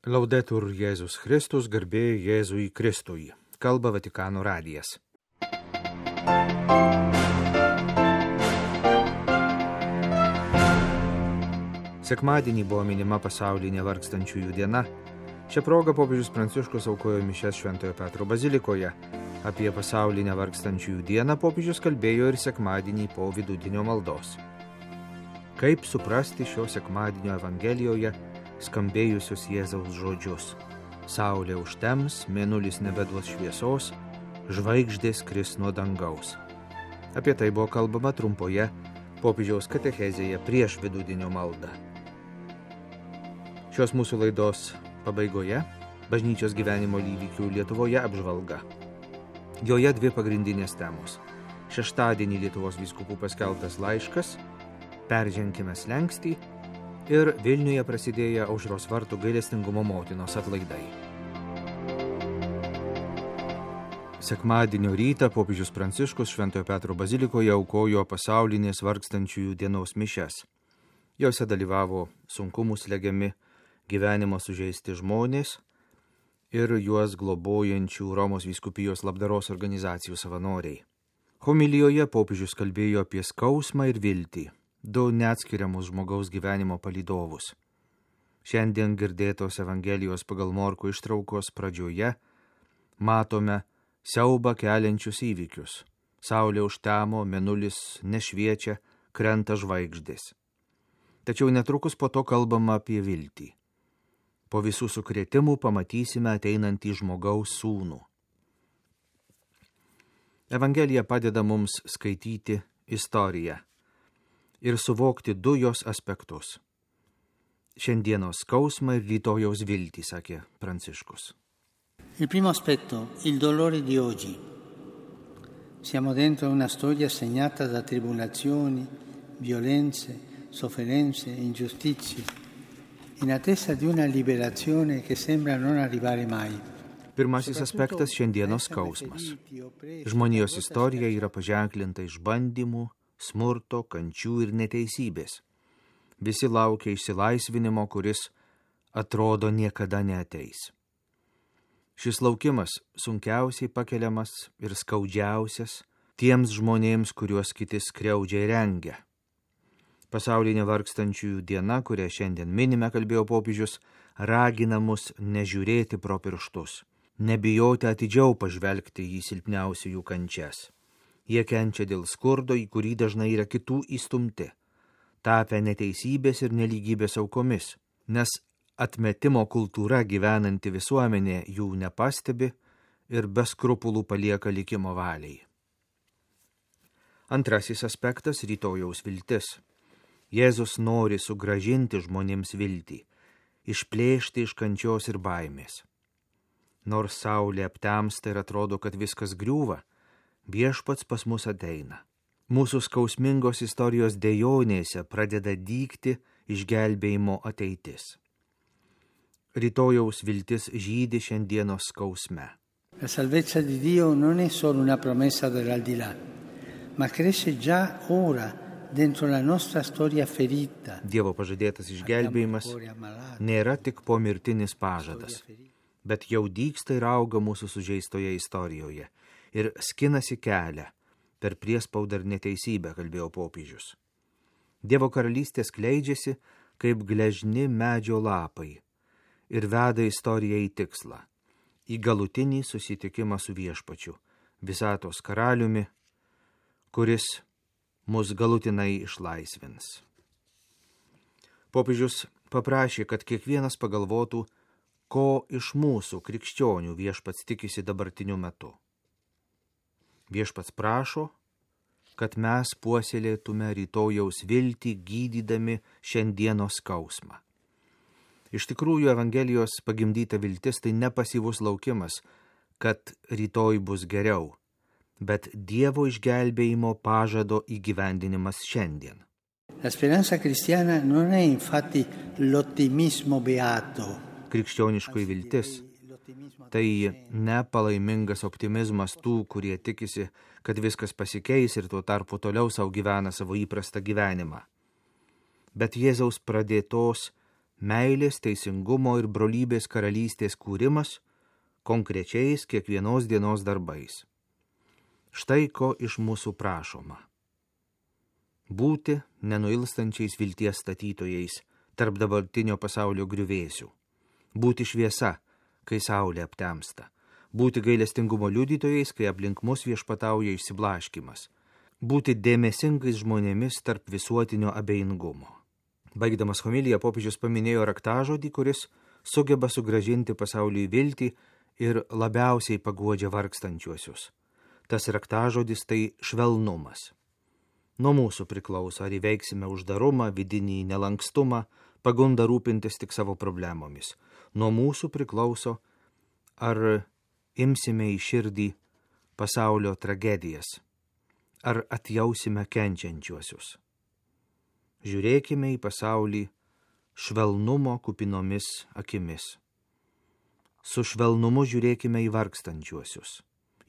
Laudetur Jėzus Kristus, garbė Jėzui Kristui. Kalba Vatikano radijas. Sekmadienį buvo minima pasaulinė vargstančiųjų diena. Šią progą popiežius Pranciškus aukojo mišias Šventojo Petro bazilikoje. Apie pasaulinę vargstančiųjų dieną popiežius kalbėjo ir sekmadienį po vidudienio maldos. Kaip suprasti šio sekmadienio Evangelijoje skambėjusius Jėzaus žodžius? Saulė užtems, mėnulis nebeduos šviesos, žvaigždės kris nuo dangaus. Apie tai buvo kalbama trumpoje popiežiaus katechezėje prieš vidudienio maldą. Šios mūsų laidos pabaigoje bažnyčios gyvenimo įvykių Lietuvoje apžvalga. Joje dvi pagrindinės temos. Šeštadienį Lietuvos vyskupų paskelbtas laiškas, perženkime slenkstį, ir Vilniuje prasidėjo Aušros vartų gailestingumo motinos atlaidai. Sekmadienio rytą popiežius Pranciškus Šventojo Petro bazilikoje aukojo pasaulinės vargstančiųjų dienos mišias. Jose dalyvavo sunkumų slegiami, gyvenimo sužeisti žmonės ir juos globojančių Romos vyskupijos labdaros organizacijų savanoriai. Homilijoje popiežius kalbėjo apie skausmą ir viltį, du neatskiriamus žmogaus gyvenimo palydovus. Šiandien girdėtos Evangelijos pagal Morkų ištraukos pradžioje matome siaubą keliančius įvykius. Saulė užtemo, mėnulis nešviečia, krenta žvaigždės. Tačiau netrukus po to kalbama apie viltį. Po visų sukrėtimų pamatysime ateinantį žmogaus sūnų. Evangelija padeda mums skaityti istoriją ir suvokti du jos aspektus. Šiandienos skausmą ir rytojaus viltį, sakė Pranciškus. Il primo aspetto, il dolore di oggi. Siamo dentro una storia segnata da tribolazioni, violenze, sofferenze, ingiustizie, in attesa di una liberazione che sembra non arrivare mai. Pirmasis aspektas, šiandienos skausmas. Žmonijos istorija yra paženklinta išbandymų, smurto, kančių ir neteisybės. Visi laukia išsilaisvinimo, kuris atrodo niekada neateis. Šis laukimas sunkiausiai pakeliamas ir skaudžiausias tiems žmonėms, kuriuos kiti skriaudžia ir rengia. Pasaulinė vargstančiųjų diena, kurią šiandien minime, kalbėjo popiežius, ragina mus nežiūrėti pro pirštus, nebijoti atidžiau pažvelgti į silpniausiųjų kančias. Jie kenčia dėl skurdo, į kurį dažnai yra kitų įstumti, tapę neteisybės ir nelygybės aukomis, nes atmetimo kultūra gyvenanti visuomenė jų nepastebi ir be skrupulų palieka likimo valiai. Antrasis aspektas – rytojaus viltis. Jėzus nori sugrąžinti žmonėms viltį, išplėšti iš kančios ir baimės. Nors saulė aptemsta ir atrodo, kad viskas griūva, viešpats pas mus ateina. Mūsų skausmingos istorijos dejonėse pradeda dygti išgelbėjimo ateitis. Rytojaus viltis žydi šiandienos skausme. La salvezza di Dio non è solo una promessa dell'aldilà, ma cresce già ora dentro la nostra storia ferita. Dievo pažadėtas išgelbėjimas nėra tik pomirtinis pažadas, bet jau dygsta ir auga mūsų sužeistoje istorijoje ir skinasi kelią per priespaudą ir neteisybę, kalbėjo popiežius. Dievo karalystė skleidžiasi kaip gležni medžio lapai ir veda istoriją į tikslą, į galutinį susitikimą su viešpačiu, visatos karaliumi, kuris mus galutinai išlaisvins. Popiežius paprašė, kad kiekvienas pagalvotų, ko iš mūsų krikščionių viešpats tikisi dabartiniu metu. Viešpats prašo, kad mes puoselėtume rytojaus viltį, gydydami šiandienos skausmą. Iš tikrųjų, Evangelijos pagimdyta viltis tai ne pasyvus laukimas, kad rytoj bus geriau, bet Dievo išgelbėjimo pažado įgyvendinimas šiandien. La speranza cristiana non è infatti l'ottimismo beato. Krikščioniškoji viltis tai ne palaimingas optimizmas tų, kurie tikisi, kad viskas pasikeis ir tuo tarpu toliau savo gyvena savo įprastą gyvenimą. Bet Jėzaus pradėtos meilės, teisingumo ir brolybės karalystės kūrimas konkrečiais kiekvienos dienos darbais. Štai ko iš mūsų prašoma. Būti nenuilstančiais vilties statytojais tarp dabartinio pasaulio griuvėsių. Būti šviesa, kai saulė aptemsta. Būti gailestingumo liudytojais, kai aplink mus viešpatauja išsiblaškimas. Būti dėmesingais žmonėmis tarp visuotinio abejingumo. Baigdamas homiliją popiežius paminėjo raktažodį, kuris sugeba sugrąžinti pasauliui viltį ir labiausiai paguodžia vargstančiuosius. Tas raktažodis tai švelnumas. Nuo mūsų priklauso, ar įveiksime uždarumą, vidinį nelankstumą, pagundą rūpintis tik savo problemomis. Nuo mūsų priklauso, ar imsime į širdį pasaulio tragedijas, ar atjausime kenčiančiuosius. Žiūrėkime į pasaulį švelnumo kupinomis akimis. Su švelnumu žiūrėkime į vargstančiuosius,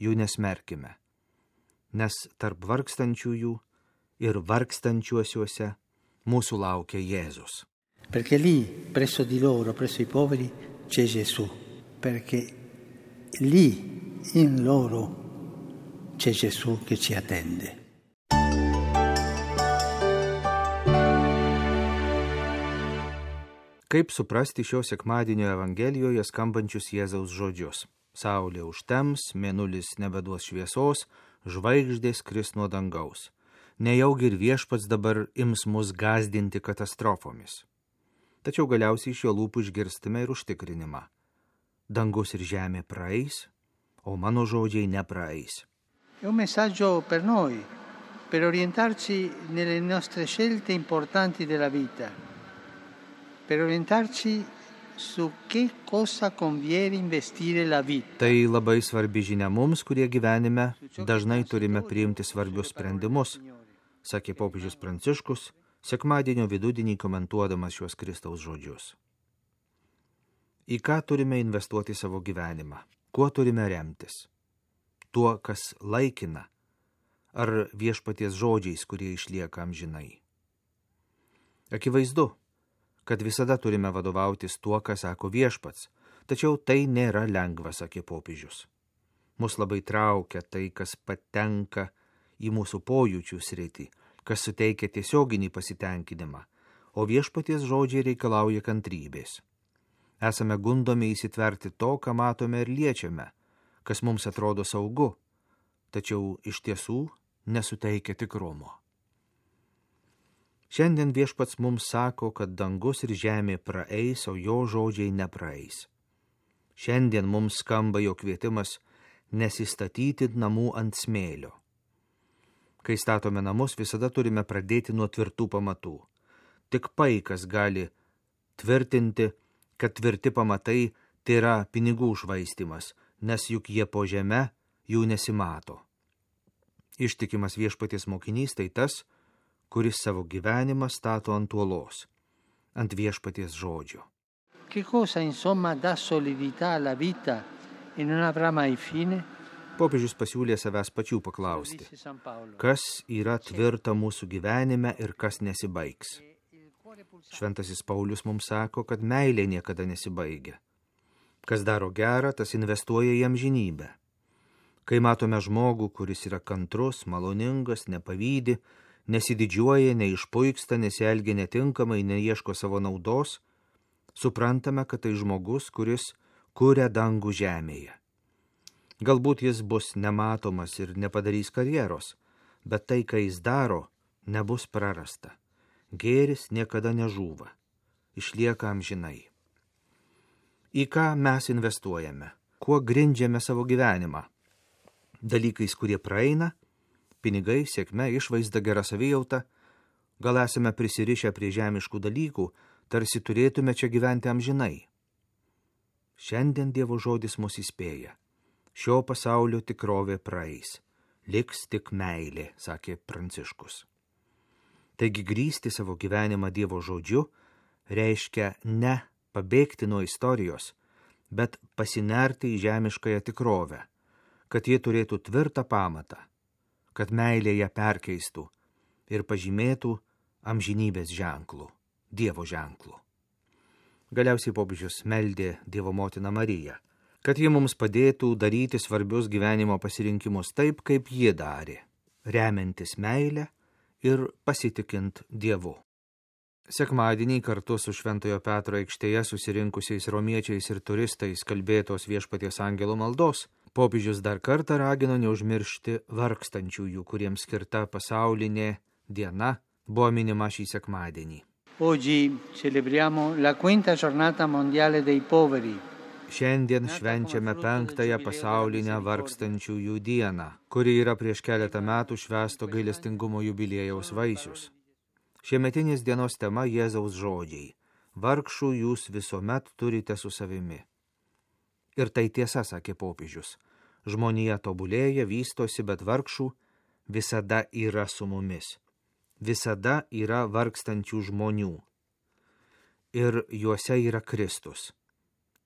jų nesmerkime, nes tarp vargstančiųjų ir vargstančiuosiuose mūsų laukia Jėzus. Perché lì, presso di loro, presso i poveri, c'è Gesù. Perché lì, in loro, c'è Gesù che ci attende. Kaip suprasti šio sekmadienio Evangelijoje skambančius Jėzaus žodžius? Saulė užtems, mėnulis nebeduos šviesos, žvaigždės kris nuo dangaus. Nejaugi ir viešpats dabar ims mus gąsdinti katastrofomis. Tačiau galiausiai iš jo lūpų išgirstame ir užtikrinimą. Dangus ir žemė praeis, o mano žodžiai nepraeis. È un messaggio per noi, per orientarci nelle nostre scelte importanti della vita, per orientarci su che cosa conviene investire la vita. Tai labai svarbi žinia mums, kurie gyvenime dažnai turime priimti svarbius sprendimus, sakė popiežius Pranciškus, sekmadienio vidudienį komentuodamas šiuos Kristaus žodžius. Į ką turime investuoti savo gyvenimą? Kuo turime remtis? Tuo, kas laikina, ar viešpaties žodžiais, kurie išlieka amžinai? Akivaizdu, kad visada turime vadovautis tuo, ką sako viešpats, tačiau tai nėra lengva, sakė popiežius. Mus labai traukia tai, kas patenka į mūsų pojūčių sritį, kas suteikia tiesioginį pasitenkinimą, o viešpaties žodžiai reikalauja kantrybės. Esame gundomi įsitverti to, ką matome ir liečiame, kas mums atrodo saugu, tačiau iš tiesų nesuteikia tikrumo. Šiandien viešpats mums sako, kad dangus ir žemė praeis, o jo žodžiai nepraeis. Šiandien mums skamba jo kvietimas nesistatyti namų ant smėlio. Kai statome namus, visada turime pradėti nuo tvirtų pamatų. Tik paikas gali tvirtinti, kad tvirti pamatai tai yra pinigų švaistymas, nes juk jie po žeme jų nesimato. Ištikimas viešpaties mokinys tai tas, kuris savo gyvenimą stato ant uolos, ant viešpaties žodžio. Che cosa insomma dà solidità alla vita e non avrà mai fine? Popiežius pasiūlė savęs pačių paklausti, kas yra tvirta mūsų gyvenime ir kas nesibaigs. Šventasis Paulius mums sako, kad meilė niekada nesibaigia. Kas daro gerą, tas investuoja į amžinybę. Kai matome žmogų, kuris yra kantrus, maloningas, nepavydi, nesididžiuoja, neišpuiksta, nesielgia netinkamai, neieško savo naudos, suprantame, kad tai žmogus, kuris kuria dangų žemėje. Galbūt jis bus nematomas ir nepadarys karjeros, bet tai, ką jis daro, nebus prarasta. Gėris niekada nežūva, išlieka amžinai. Į ką mes investuojame? Kuo grindžiame savo gyvenimą? Dalykais, kurie praeina, pinigai, sėkme, išvaizda, gera savijauta, gal esame prisirišę prie žemiškų dalykų, tarsi turėtume čia gyventi amžinai. Šiandien Dievo žodis mus įspėja. Šio pasaulio tikrovė praeis, liks tik meilė, sakė Pranciškus. Taigi grįsti savo gyvenimą Dievo žodžiu reiškia ne pabėgti nuo istorijos, bet pasinerti į žemiškąją tikrovę, kad jie turėtų tvirtą pamatą, kad meilė ją perkeistų ir pažymėtų amžinybės ženklų, Dievo ženklų. Galiausiai popiežius meldė Dievo motiną Mariją, kad ji mums padėtų daryti svarbius gyvenimo pasirinkimus taip, kaip ji darė, remiantis meilę ir pasitikint Dievu. Sekmadienį kartu su Šventojo Petro aikštėje susirinkusiais romiečiais ir turistais kalbėtos Viešpaties angelo maldos, popiežius dar kartą ragino neužmiršti vargstančiųjų, kuriems skirta pasaulinė diena buvo minima šį sekmadienį. Oggi celebriamo la quinta giornata mondiale dei poveri. Šiandien švenčiame 5-ąją pasaulinę vargstančiųjų dieną, kuri yra prieš keletą metų švęsto gailestingumo jubiliejaus vaisius. Šiemetinės dienos tema Jėzaus žodžiai: vargšų jūs visuomet turite su savimi. Ir tai tiesa, sakė popiežius. Žmonija tobulėja, vystosi, bet vargšų visada yra su mumis. Visada yra vargstančių žmonių. Ir juose yra Kristus.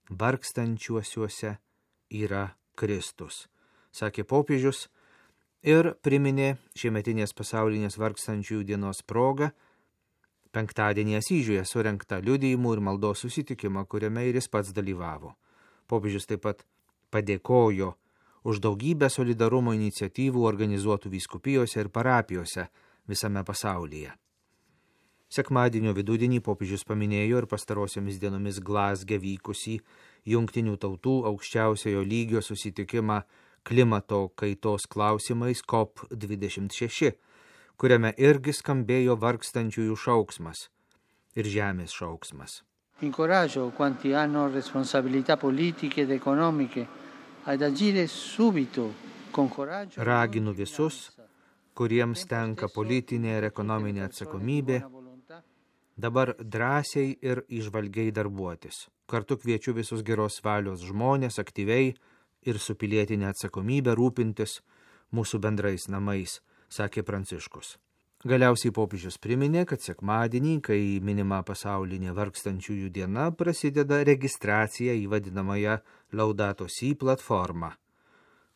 Vargstančiuosiuose yra Kristus, sakė popiežius ir priminė šiemetinės pasaulinės vargstančiųjų dienos progą penktadienį Asyžiuje surengtą liudijimų ir maldos susitikimą, kuriame ir jis pats dalyvavo. Popiežius taip pat padėkojo už daugybę solidarumo iniciatyvų organizuotų vyskupijose ir parapijose visame pasaulyje. Sekmadienio vidudienį popiežius paminėjo ir pastarosiomis dienomis Glazge vykusį Jungtinių tautų aukščiausiojo lygio susitikimą klimato kaitos klausimais COP26, kuriame irgi skambėjo vargstančiųjų šauksmas ir žemės šauksmas. Incoraggio quanti hanno responsabilità politiche ed economiche ad agire subito con coraggio. Raginu visus, kuriems tenka politinė ir ekonominė atsakomybė, dabar drąsiai ir įžvalgiai darbuotis. Kartu kviečiu visus geros valios žmonės aktyviai ir su pilietinė atsakomybė rūpintis mūsų bendrais namais, sakė Pranciškus. Galiausiai popiežius priminė, kad sekmadienį, kai minima pasaulinė vargstančiųjų diena, prasideda registracija į vadinamąją Laudato Si platformą,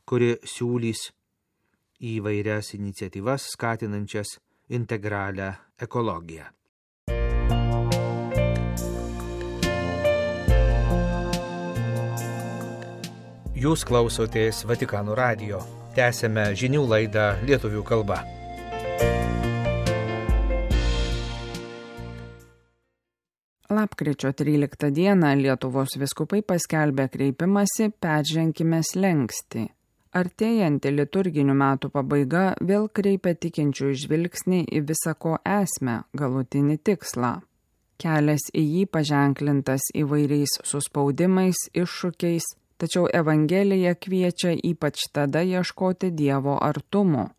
kuri siūlys įvairias iniciatyvas skatinančias integralią ekologiją. Jūs klausotės Vatikano radijo. Tęsėme žinių laidą lietuvių kalba. Lapkričio 13 dieną Lietuvos vyskupai paskelbė kreipimąsi Perženkime slenkstį. Artėjanti liturginių metų pabaiga vėl kreipia tikinčių žvilgsnį į visa ko esmę, galutinį tikslą. Kelias į jį paženklintas įvairiais suspaudimais, iššūkiais, tačiau Evangelija kviečia ypač tada ieškoti Dievo artumo.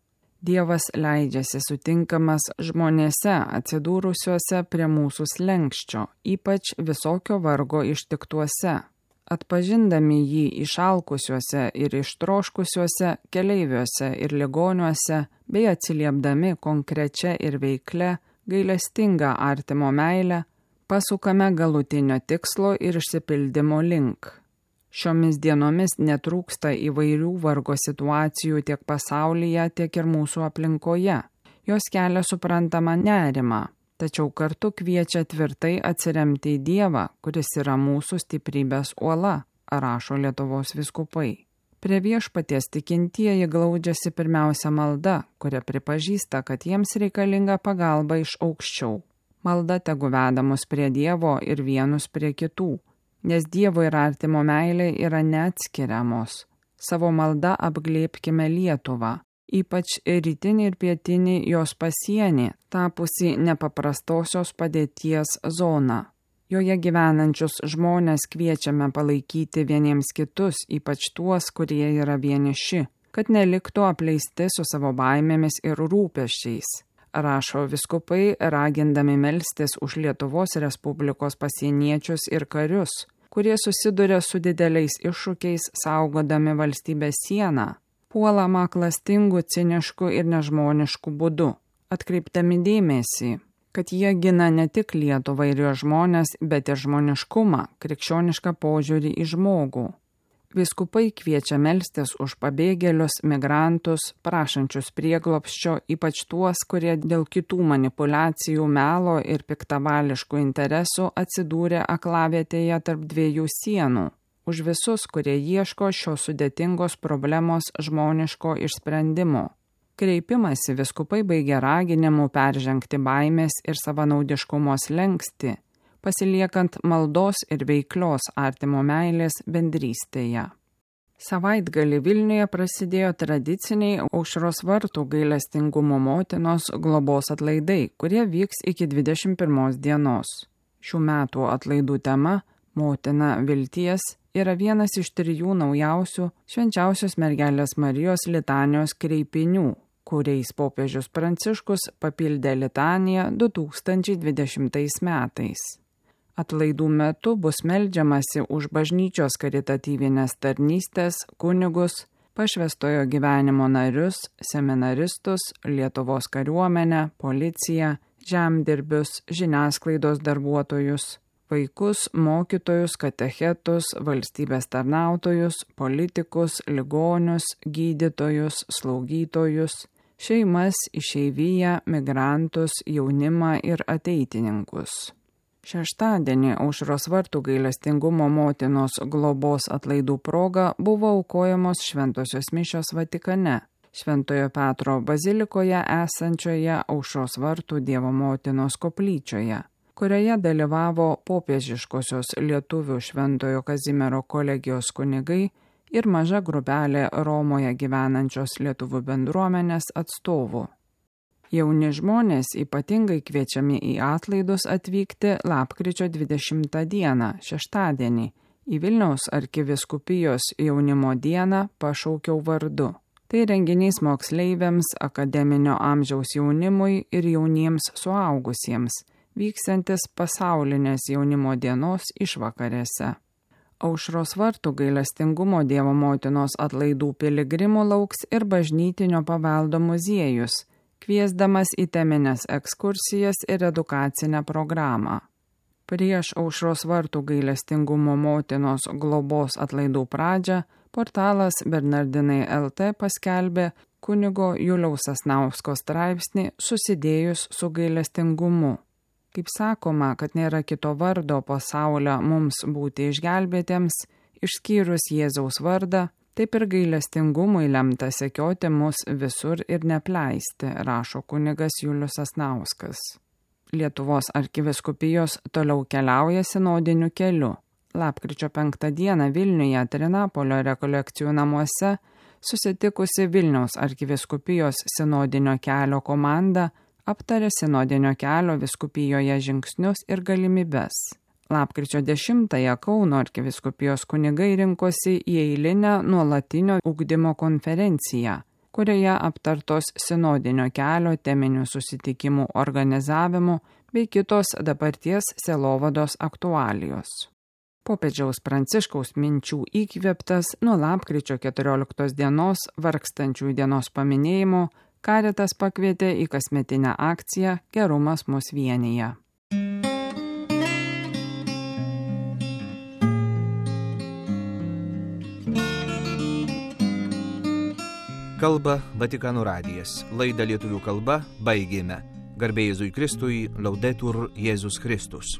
Dievas leidžiasi sutinkamas žmonėse atsidūrusiuose prie mūsų slenksčio, ypač visokio vargo ištiktuose. Atpažindami jį išalkusiuose ir ištroškusiuose keleiviuose ir ligoniuose, bei atsiliepdami konkrečia ir veiklia, gailestinga artimo meilę, pasukame galutinio tikslo ir išsipildymo link. Šiomis dienomis netrūksta įvairių vargo situacijų tiek pasaulyje, tiek ir mūsų aplinkoje. Jos kelia suprantamą nerimą, tačiau kartu kviečia tvirtai atsiremti į Dievą, kuris yra mūsų stiprybės uola, rašo Lietuvos vyskupai. Prie Viešpaties tikintieji glaudžiasi pirmiausia malda, kuria pripažįsta, kad jiems reikalinga pagalba iš aukščiau. Malda tegu veda mus prie Dievo ir vienus prie kitų, nes Dievo ir artimo meilė yra neatskiriamos. Savo malda apglėbkime Lietuvą, ypač rytinį ir pietinį jos pasienį, tapusi nepaprastosios padėties zona. Joje gyvenančius žmonės kviečiame palaikyti vieniems kitus, ypač tuos, kurie yra vieniši, kad neliktų apleisti su savo baimėmis ir rūpesčiais, rašo vyskupai, ragindami melstis už Lietuvos Respublikos pasieniečius ir karius, kurie susiduria su dideliais iššūkiais saugodami valstybės sieną, puolama klastingų, ciniškų ir nežmoniškų būdų, atkreipdami dėmesį, kad jie gina ne tik Lietuvą ir jo žmonės, bet ir žmoniškumą, krikščionišką požiūrį į žmogų. Vyskupai kviečia melstis už pabėgėlius, migrantus, prašančius prieglobsčio, ypač tuos, kurie dėl kitų manipulacijų, melo ir piktavališkų interesų atsidūrė aklavietėje tarp dviejų sienų. Už visus, kurie ieško šios sudėtingos problemos žmoniško išsprendimo. Kreipimąsi vyskupai baigia raginimu peržengti baimės ir savanaudiškumo slenkstį, pasiliekant maldos ir veiklios artimo meilės bendrystėje. Savaitgalį Vilniuje prasidėjo tradiciniai Aušros vartų gailestingumo motinos globos atlaidai, kurie vyks iki 21 dienos. Šių metų atlaidų tema Motina vilties yra vienas iš 3 naujausių Švenčiausios mergelės Marijos litanijos kreipinių, kuriais popiežius Pranciškus papildė litaniją 2020 metais. Atlaidų metu bus meldžiamasi už bažnyčios karitatyvinės tarnystės, kunigus, pašvęstojo gyvenimo narius, seminaristus, Lietuvos kariuomenę, policiją, žemdirbius, žiniasklaidos darbuotojus, vaikus, mokytojus, katechetus, valstybės tarnautojus, politikus, ligonius, gydytojus, slaugytojus, šeimas, išeiviją, migrantus, jaunimą ir ateitininkus. Šeštadienį Aušros vartų gailestingumo motinos globos atlaidų proga buvo aukojamos šventosios mišios Vatikane, Šventojo Petro bazilikoje esančioje Aušros vartų Dievo motinos koplyčioje, kurioje dalyvavo popiežiškosios lietuvių Šventojo Kazimiero kolegijos kunigai ir maža grupelė Romoje gyvenančios lietuvių bendruomenės atstovų. Jauni žmonės ypatingai kviečiami į atlaidus atvykti lapkričio 20 dieną, šeštadienį, į Vilniaus arkivyskupijos jaunimo dieną Pašaukiau vardu. Tai renginys moksleiviams, akademinio amžiaus jaunimui ir jauniems suaugusiems, vyksiantis pasaulinės jaunimo dienos išvakarėse. Aušros vartų gailestingumo Dievo motinos atlaidų piligrimų lauks ir bažnytinio paveldo muziejus, kviesdamas į teminės ekskursijas ir edukacinę programą. Prieš Aušros vartų gailestingumo motinos globos atlaidų pradžią portalas Bernardinai LT paskelbė kunigo Juliaus Sasnausko straipsnį Susidėjus su gailestingumu. Kaip sakoma, kad nėra kito vardo pasaulio mums būti išgelbėtiems, išskyrus Jėzaus vardą, taip ir gailestingumui lemta sekioti mus visur ir nepleisti, rašo kunigas Julius Sasnauskas. Lietuvos arkivyskupijos toliau keliauja sinodiniu keliu. Lapkričio 5 dieną Vilniuje Trinapolio rekolekcijų namuose susitikusi Vilniaus arkivyskupijos sinodinio kelio komanda aptarė sinodinio kelio vyskupijoje žingsnius ir galimybes. Lapkričio 10-ąją Kauno arkivyskupijos kunigai rinkosi į eilinę nuolatinio ugdymo konferenciją, kurioje aptartos sinodinio kelio teminių susitikimų organizavimo bei kitos dabarties sielovados aktualijos. Popiežiaus Pranciškaus minčių įkvėptas nuo lapkričio 14 dienos vargstančiųjų dienos paminėjimo Caritas pakvietė į kasmetinę akciją Gerumas mus vienija. Kalba Vatikano radijas. Laidą lietuvių kalba baigėme. Garbė Jėzui Kristui, Laudetur Jėzus Kristus.